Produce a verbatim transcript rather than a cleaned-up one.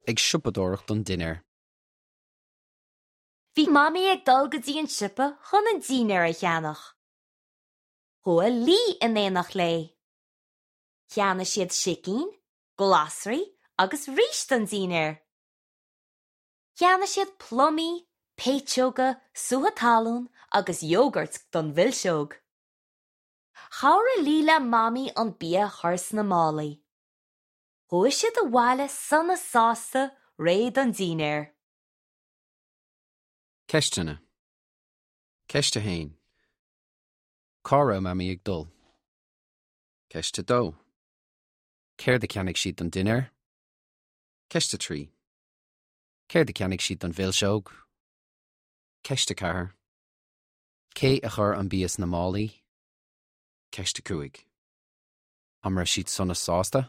ag siopadóireacht don dinnéar. Bhí Mamaí ag dul go dtí an siopa chun an dinnéar a cheannach. Chuaigh Lee in éineacht léi. Cheannaigh siad sicín, glasraí agus rís don dinnéar. Cheannaigh siad plumaí, péitseoga, sútha talún agus iógart don mhilseog. Chabhraigh Lee le Mamaí an bia a chur sna málaí. Chuaigh siad abhaile sona sásta réidh don dinnéar. Ceisteanna. Ceist a haon. Cá raibh Mamaí ag dul. Ceist a dó. Céard a cheannaigh siad don dinnéar? Ceist a trí. Céard a cheannaigh siad don mhilseog? Ceist a ceathair. Cé a chuir an bia sna málaí? Ceist a cúig. An raibh siad sona sásta?